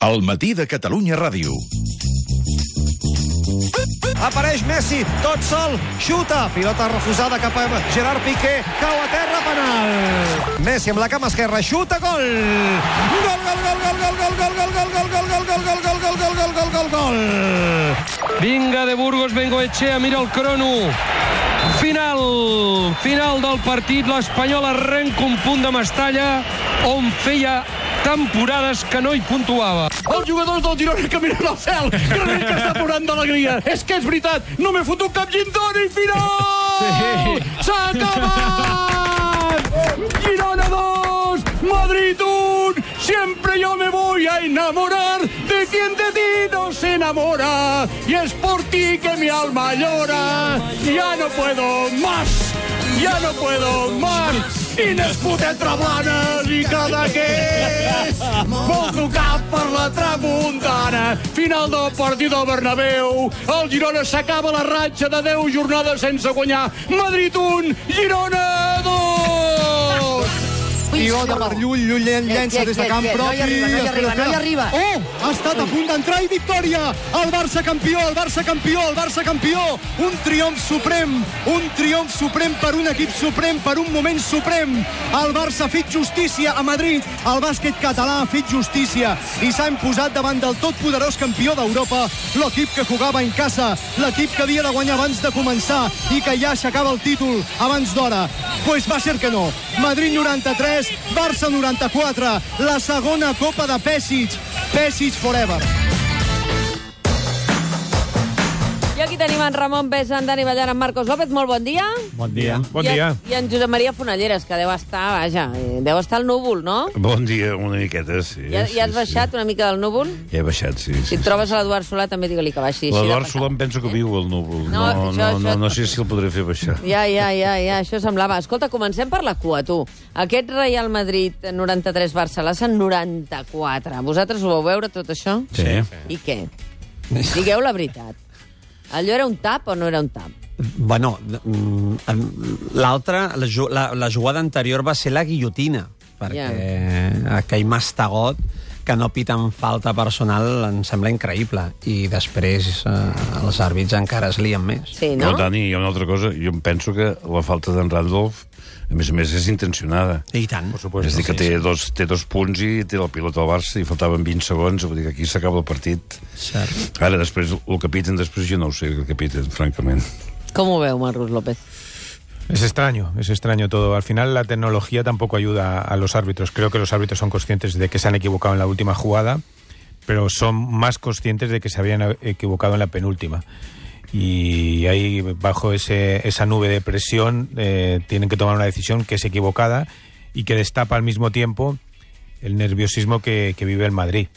El matí de Catalunya Ràdio. Apareix Messi, tot sol, xuta, pilota refusada cap a Gerard Piqué, cau a terra, penal. Messi amb la cama esquerra, xuta, gol! Gol, gol, gol, gol, gol, gol, gol, gol, gol, gol, gol, gol, gol, gol, gol, gol, gol, gol, gol, gol. Vinga de Burgos, Bengoechea, mira el crono. Final del partit, l'Espanyol arrenca un punt de Mestalla on feia temporades que no hi puntuava. Els jugadors del Girona caminen al cel, que està plorant d'alegria. És que és veritat, no m'he fotut cap gintoni, final! S'ha acabat! Girona 2, Madrid 1, siempre yo me voy a enamorar de quien de ti no se enamora, y es por ti que mi alma llora. Ya no puedo más, ya no puedo más. Quines putetes blanes i Cadaqués vol tocar per la tramuntana. Final del partit al Bernabéu. El Girona s'acaba la ratxa de 10 jornades sense guanyar. Madrid 1, Girona 2. Pilota per Llull, Llull llença des de camp propi. No hi arriba. Oh, ha estat a punt d'entrar i victòria. El Barça campió, el Barça campió, el Barça campió. Un triomf suprem per un equip suprem, per un moment suprem. El Barça ha fet justícia a Madrid. El bàsquet català ha fet justícia i s'ha imposat davant del totpoderós campió d'Europa, l'equip que jugava en casa, l'equip que havia de guanyar abans de començar i que ja aixecava el títol abans d'hora. Pues va ser que no. Madrid 93, Barça 94, la segona Copa de Pesic. Pesic forever. I aquí tenim en Ramon Besa, en Dani Ballar, en Marcos López. Molt bon dia. Bon dia. Bon dia. I en Josep Maria Fonalleres, que deu estar, deu estar al núvol, no? Bon dia, una miqueta, sí. Ja has baixat una mica del núvol? Ja he baixat, sí. Si et trobes a l'Eduard Solà, també digue-li que baixi. L'Eduard Solà em penso que viu al núvol. No sé si el podré fer baixar. Ja, això semblava. Escolta, comencem per la cua, tu. Aquest Real Madrid 93, Barça 94. Vosaltres ho vau veure, tot això? Sí. I què? Digueu la veritat. Allò era un tap o no era un tap? Bueno, l'altra, la jugada anterior va ser la guillotina, perquè aquell mastegot que no pita en falta personal em sembla increïble. I després els àrbits encara es lien més. Sí, no? No, Dani, hi ha una altra cosa. Jo em penso que la falta d'en Randolph, a més, és intencionada. I tant. És dir, que té dos punts i té la pilota al Barça i faltaven 20 segons, vull dir que aquí s'acaba el partit. Cert. Ara, després, el que piten, després jo no ho sé, el que piten, francament. Com ho veu, Marcos López? Es extraño todo. Al final la tecnología tampoco ayuda a los árbitros. Creo que los árbitros son conscientes de que se han equivocado en la última jugada, pero son más conscientes de que se habían equivocado en la penúltima. Y ahí, bajo esa nube de presión, tienen que tomar una decisión que es equivocada y que destapa al mismo tiempo el nerviosismo que vive el Madrid.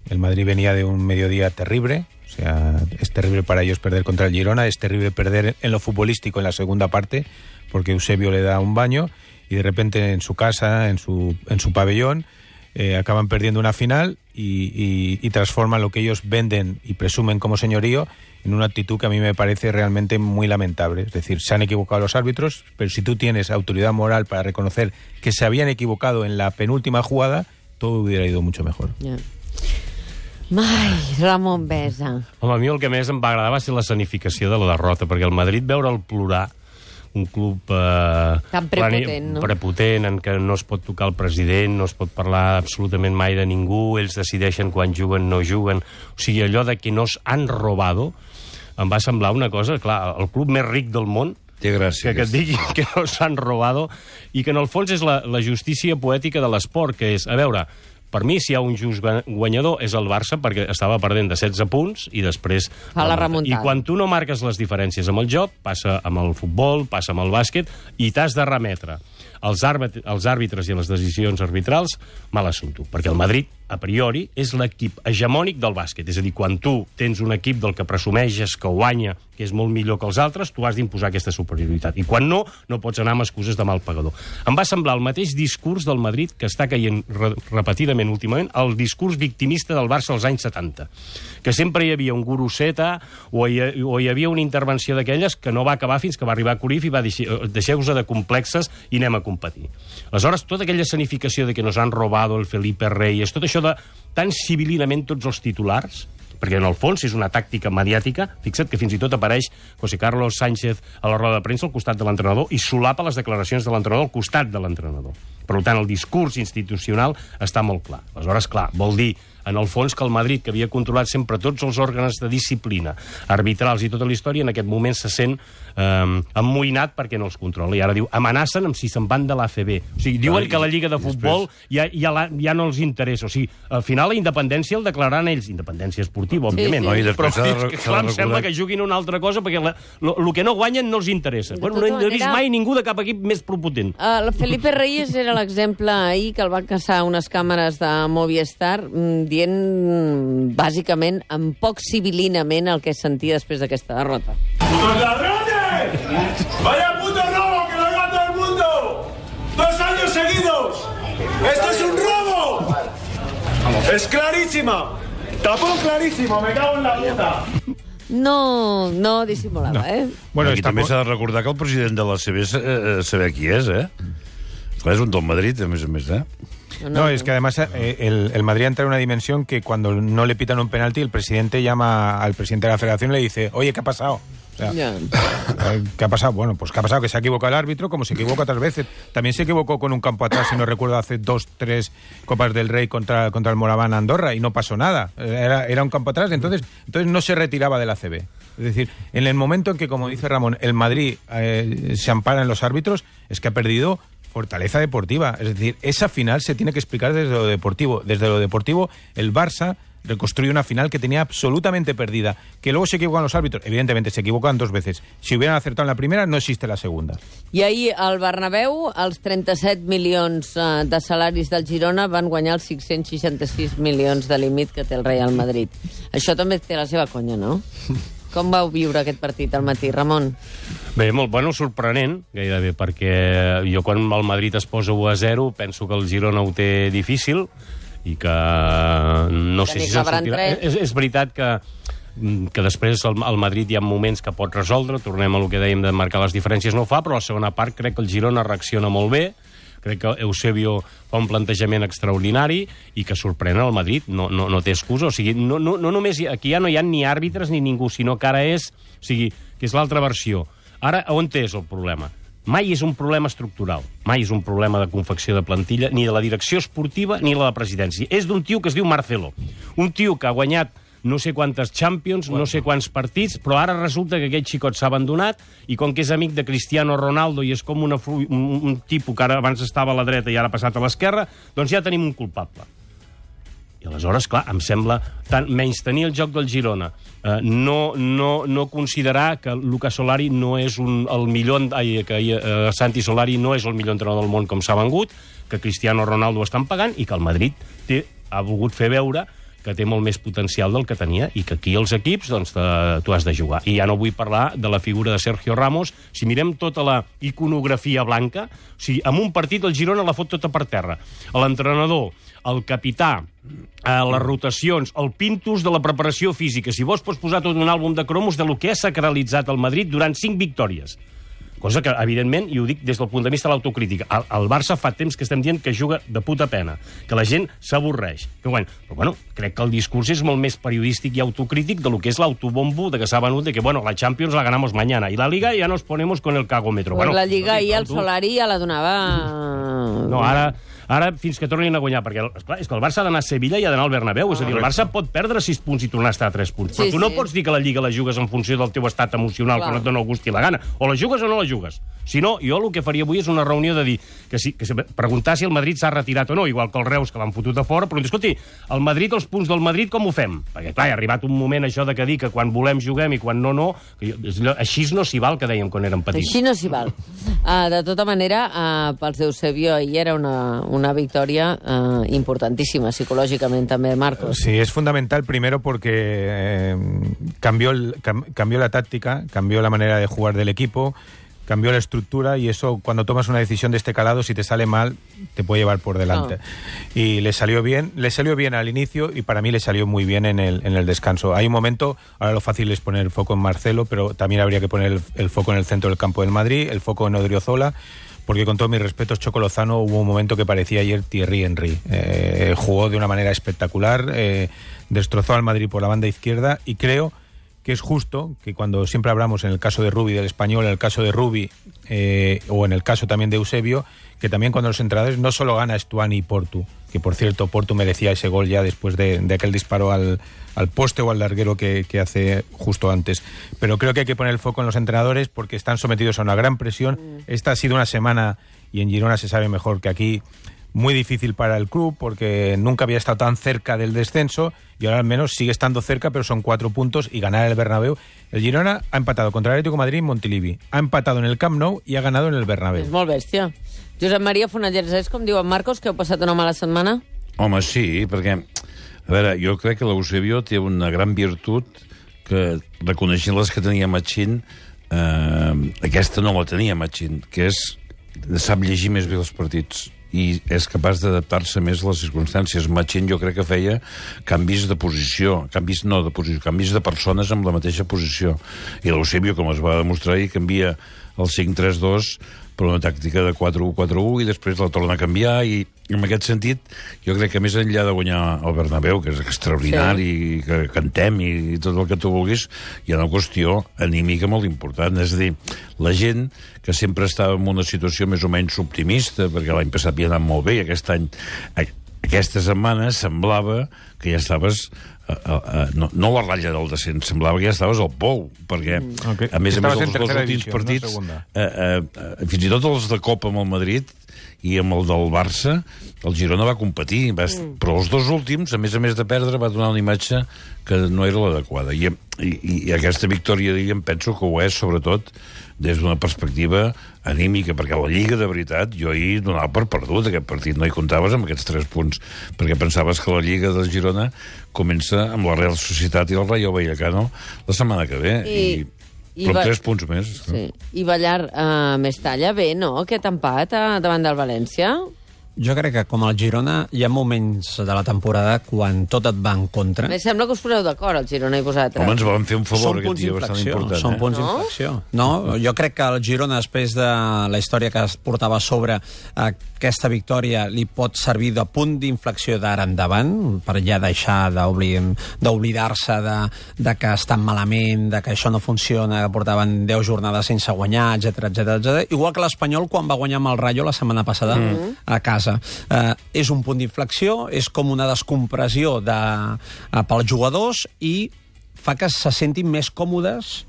El Madrid venía de un mediodía terrible. O sea, es terrible para ellos perder contra el Girona, es terrible perder en lo futbolístico en la segunda parte, porque Eusebio le da un baño y de repente en su casa, en su pabellón, acaban perdiendo una final y transforman lo que ellos venden y presumen como señorío en una actitud que a mí me parece realmente muy lamentable. Es decir, se han equivocado los árbitros, pero si tú tienes autoridad moral para reconocer que se habían equivocado en la penúltima jugada, todo hubiera ido mucho mejor. Yeah. Ai, Ramon Besa. Home, a mi el que més em va agradar va ser l'escenificació de la derrota, perquè el Madrid veure'l plorar, un club tan prepotent, no? Prepotent, en què no es pot tocar el president, no es pot parlar absolutament mai de ningú, ells decideixen quan juguen, no juguen. O sigui, allò de que nos han robado em va semblar una cosa, clar, el club més ric del món, té gràcia, que et digui que nos han robado, i que en el fons és la justícia poètica de l'esport, que és, a veure, per mi, si hi ha un just guanyador, és el Barça, perquè estava perdent de 16 punts i després fa la remuntada. I quan tu no marques les diferències amb el joc, passa amb el futbol, passa amb el bàsquet, i t'has de remetre als àrbitres i a les decisions arbitrals, mal assumpto. Perquè el Madrid, a priori, és l'equip hegemònic del bàsquet. És a dir, quan tu tens un equip del que presumeixes que guanya, que és molt millor que els altres, tu has d'imposar aquesta superioritat. I quan no, no pots anar amb excuses de mal pagador. Em va semblar el mateix discurs del Madrid que està caient repetidament últimament, el discurs victimista del Barça als anys 70. Que sempre hi havia un guruseta o hi havia una intervenció d'aquelles que no va acabar fins que va arribar Cruyff i va dir deixeu-vos de complexes i anem a competir. Aleshores, tota aquella escenificació de que nos han robado el Felipe Reyes, tot això de tan civilinament tots els titulars, perquè en el fons és una tàctica mediàtica. Fixa't que fins i tot apareix José Carlos Sánchez a la roda de premsa al costat de l'entrenador i solapa les declaracions de l'entrenador al costat de l'entrenador. Per tant, el discurs institucional està molt clar. Aleshores, clar, vol dir, en el fons, que el Madrid, que havia controlat sempre tots els òrgans de disciplina, arbitrals i tota la història, en aquest moment se sent emmoïnat perquè no els controla. I ara diu, amenacen amb si se'n van de l'ACB. O sigui, diuen que la Lliga de Futbol ja no els interessa. O sigui, al final la independència el declararan ells. Independència esportiva, òbviament. No, i després però clar, em sembla que juguin una altra cosa perquè el que no guanyen no els interessa. Bueno, no he vist mai ningú de cap equip més propotent. El Felipe Reyes era l'exemple ahir que el van caçar unes càmeres de Movistar dient, bàsicament, amb poc civilinament el que sentia després d'aquesta derrota. ¡Putos ladrones! ¡Vaya puto robo que lo haga todo el mundo! 2 años seguidos. ¡Esto es un robo! ¡Es clarísima! ¡Tapón clarísimo! ¡Me cago en la puta! No dissimulava, Bueno, i també s'ha de recordar que el president de la CB saber qui és, Clar, és un del Madrid, a més, No, es que además el Madrid entra en una dimensión que cuando no le pitan un penalti, el presidente llama al presidente de la federación y le dice, oye, ¿qué ha pasado? O sea, ¿qué ha pasado? Bueno, pues ¿qué ha pasado? Que se ha equivocado el árbitro, como se equivoca otras veces. También se equivocó con un campo atrás, si no recuerdo, hace 2, 3 Copas del Rey contra el Moraván Andorra y no pasó nada. Era un campo atrás, entonces no se retiraba de la ACB. Es decir, en el momento en que, como dice Ramón, el Madrid se ampara en los árbitros, es que ha perdido fortaleza deportiva. Es decir, esa final se tiene que explicar desde lo deportivo. Desde lo deportivo, el Barça reconstruye una final que tenía absolutamente perdida. Que luego se equivocan los árbitros. Evidentemente, se equivocan 2 veces. Si hubieran acertado en la primera, no existe la segunda. I ahir al Bernabéu, els 37 milions de salaris del Girona van guanyar els 566 milions de límit que té el Real Madrid. Això també té la seva conya, no? Com vau viure aquest partit al matí, Ramon? Bé, molt sorprenent, gairebé, perquè jo quan el Madrid es posa 1-0 penso que el Girona ho té difícil i que no sé si se'n sortirà. És veritat que després el Madrid hi ha moments que pot resoldre, tornem a lo que dèiem de marcar les diferències, no ho fa, però a la segona part crec que el Girona reacciona molt bé, crec que Eusebio fa un plantejament extraordinari i que sorprèn el Madrid, no té excusa. O sigui, no només aquí ja no hi ha ni àrbitres ni ningú, sinó que ara és, o sigui, que és l'altra versió. Ara, on és el problema? Mai és un problema estructural, mai és un problema de confecció de plantilla, ni de la direcció esportiva ni de la presidència. És d'un tio que es diu Marcelo, un tio que ha guanyat no sé quantes Champions, no sé quants partits, però ara resulta que aquest xicot s'ha abandonat i com que és amic de Cristiano Ronaldo i és com un tipus que ara abans estava a la dreta i ara ha passat a l'esquerra, doncs ja tenim un culpable. I aleshores, clar, em sembla tant menys tenir el joc del Girona, no considerar que Luca Solari no és el millor, Santi Solari no és el millor entrenador del món com s'ha vengut, que Cristiano Ronaldo ho estan pagant i que el Madrid ha volgut fer veure que té molt més potencial del que tenia i que aquí els equips, doncs, tu has de jugar. I ja no vull parlar de la figura de Sergio Ramos. Si mirem tota la iconografia blanca, o sigui, en un partit el Girona la fot tota per terra. L'entrenador, el capità, les rotacions, el pintus de la preparació física. Si vols, pots posar tot un àlbum de cromos de lo que ha sacralitzat el Madrid durant 5 victòries. Cosa que, evidentment, i ho dic des del punt de vista de l'autocrítica, el Barça fa temps que estem dient que juga de puta pena, que la gent s'avorreix. Però, bueno, crec que el discurs és molt més periodístic i autocrític de lo que és l'autobombo de que s'ha venut de que, bueno, la Champions la ganamos mañana y la Liga ya nos ponemos con el cagómetro. Pues la Lliga i el Solari ja la donava... No, ara fins que tornin a guanyar, perquè esclar, és que el Barça ha d'anar a Sevilla i ha d'anar al Bernabéu, és a dir, el Barça pot perdre 6 punts i tornar a estar a 3 punts, però tu no pots dir que la Lliga la jugues en funció del teu estat emocional, que no et dona el gust i la gana, o la jugues o no la jugues. Si no, jo el que faria avui és una reunió de dir, preguntar si el Madrid s'ha retirat o no, igual que el Reus, que l'han fotut a fora, però escolti, el Madrid, els punts del Madrid, com ho fem? Perquè, clar, ha arribat un moment això de que dir que quan volem juguem i quan no, així no s'hi val, que dèiem quan érem petits. Així no s'hi val. De tota manera, pels d'Eusebio ahir era una victòria importantísima psicológicamente también, Marcos. Sí, es fundamental primero porque cambió la táctica, cambió la manera de jugar del equipo, cambió la estructura y eso, cuando tomas una decisión de este calado, si te sale mal, te puede llevar por delante. Y le salió bien al inicio y para mí le salió muy bien en el descanso. Hay un momento, ahora lo fácil es poner el foco en Marcelo, pero también habría que poner el foco en el centro del campo del Madrid, el foco en Odriozola, porque con todos mis respetos, Choco Lozano hubo un momento que parecía ayer Thierry Henry. Jugó de una manera espectacular, destrozó al Madrid por la banda izquierda, y creo que es justo que cuando siempre hablamos en el caso de Rubi del Español, en el caso de Rubi o en el caso también de Eusebio, que también cuando los entrenadores no solo gana Stuani y Portu, que por cierto Portu merecía ese gol ya después de aquel disparo al poste o al larguero que hace justo antes, pero creo que hay que poner el foco en los entrenadores porque están sometidos a una gran presión. Esta ha sido una semana, y en Girona se sabe mejor que aquí, muy difícil para el club porque nunca había estado tan cerca del descenso y ahora al menos sigue estando cerca, pero son 4 puntos y ganar el Bernabéu. El Girona ha empatado contra el Atlético de Madrid en Montilivi, ha empatado en el Camp Nou i ha ganado en el Bernabéu. És molt bèstia. Josep Maria Fonalleres, és com diuen Marcos, que heu passat una mala setmana? Home, sí, perquè, a veure, jo crec que l'Eusebio té una gran virtut que, reconeixent les que tenia Machín, aquesta no la tenia Machín, que és sap llegir més bé els partits i és capaç d'adaptar-se més a les circumstàncies. Machín jo crec que feia canvis de posició, canvis de persones amb la mateixa posició. I l'Eusebio, com es va demostrar ahir, canvia el 5-3-2 per una tàctica de 4-1-4-1 i després la torna a canviar, i en aquest sentit jo crec que més enllà de guanyar el Bernabéu, que és extraordinari, sí, que cantem i tot el que tu vulguis, hi ha una qüestió anímica molt important. És a dir, la gent que sempre estava en una situació més o menys optimista, perquè l'any passat havia anat molt bé i aquest any, aquesta setmana semblava que ja estaves no a la ratlla del descens, semblava que ja estaves al pou, perquè a més els dos últims partits, fins i tot els de Copa amb el Madrid i amb el del Barça, el Girona va competir, però els dos últims, a més de perdre, va donar una imatge que no era l'adequada. I aquesta victòria d'ahir em penso que ho és, sobretot, des d'una perspectiva anímica, perquè la Lliga, de veritat, jo ahir donava per perdut aquest partit, no hi comptaves amb aquests 3 punts, perquè pensaves que la Lliga de Girona comença amb la Real Societat i el Rayo Vallecano la setmana que ve, però 3 punts més. Sí. I Ballar Mestalla, bé, no?, aquest empat davant del València? Jo crec que, com el Girona, hi ha moments de la temporada quan tot et va en contra. Em sembla que us poseu d'acord, el Girona i vosaltres. Home, ens van fer un favor aquest dia bastant important. Són punts d'inflexió. No, jo crec que el Girona, després de la història que es portava a sobre, aquesta victòria li pot servir de punt d'inflexió d'ara endavant, per ja deixar d'oblidar-se de que estan malament, de que això no funciona, que portaven 10 jornades sense guanyar, etc. Igual que l'Espanyol quan va guanyar amb el Rayo la setmana passada a casa. És un punt d'inflexió, és com una descompressió pels jugadors i fa que se sentin més còmodes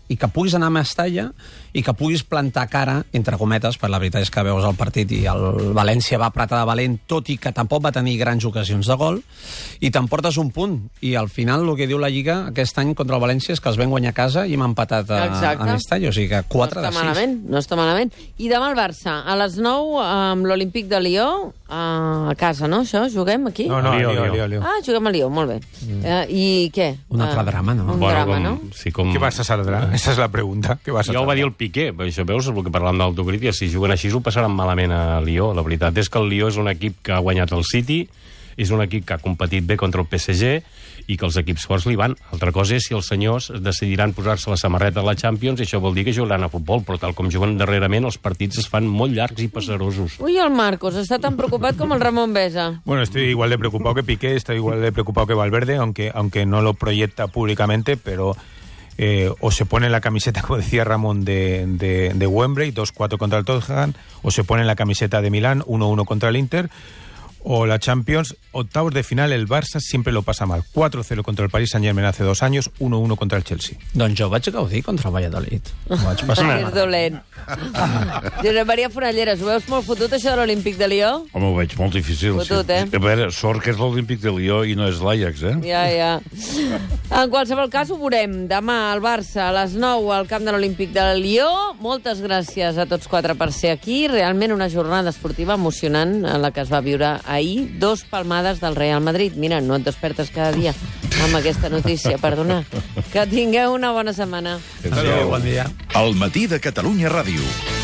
i que puguis anar a Mestalla i que puguis plantar cara, entre cometes, per la veritat és que veus el partit i el València va apretar de valent, tot i que tampoc va tenir grans ocasions de gol, i t'emportes un punt. I al final el que diu la Lliga aquest any contra el València és que els vam guanyar a casa i hem empatat a Mestalla, o sigui que 4 de 6. No està malament. I demà el Barça, a les 9, amb l'Olímpic de Lió, a casa, no, això? Juguem aquí? No, Lió. Ah, juguem a Lió, molt bé. I què? Un altre drama, no? Un drama, no? Sí, com... Què vas a saldrà? Esa és la pregunta. Ja ho va dir el Piqué, això veus, el que parlàvem d'autocrítica, si juguen així ho passaran malament a Lió. La veritat és que el Lió és un equip que ha guanyat el City, és un equip que ha competit bé contra el PSG i que els equips forts li van. Altra cosa és si els senyors decidiran posar-se la samarreta de la Champions, i això vol dir que jugaran a futbol, però tal com juguen darrerament, els partits es fan molt llargs i pesarosos. Ui, el Marcos està tan preocupat com el Ramon Besa. Bueno, estoy igual de preocupado que Piqué, estoy igual de preocupado que Valverde, aunque no lo proyecta públicamente, pero... o se pone la camiseta, como decía Ramón, de Wembley, 2-4 contra el Tottenham, o se pone la camiseta de Milán, 1-1 contra el Inter, o la Champions, octavos de final, el Barça siempre lo pasa mal. 4-0 contra el Paris Saint-Germain hace 2 años, 1-1 contra el Chelsea. Doncs jo vaig gaudir contra el Valladolid. Vaig passar. És dolent. Josep Maria Fonalleres, ho veus molt fotut, això de l'Olímpic de Lió? Home, ho veig molt difícil. Fotut, A veure, sort que és l'Olímpic de Lió i no és l'Ajax, Ja. En qualsevol cas, ho veurem demà al Barça a les 9 al camp de l'Olímpic de Lió. Moltes gràcies a tots 4 per ser aquí. Realment una jornada esportiva emocionant en la que es va viure ahir. 2 palmades del Real Madrid. Mira, no et despertes cada dia amb aquesta notícia, perdona. Que tingueu una bona setmana. Adéu, bon dia. El matí de Catalunya Ràdio.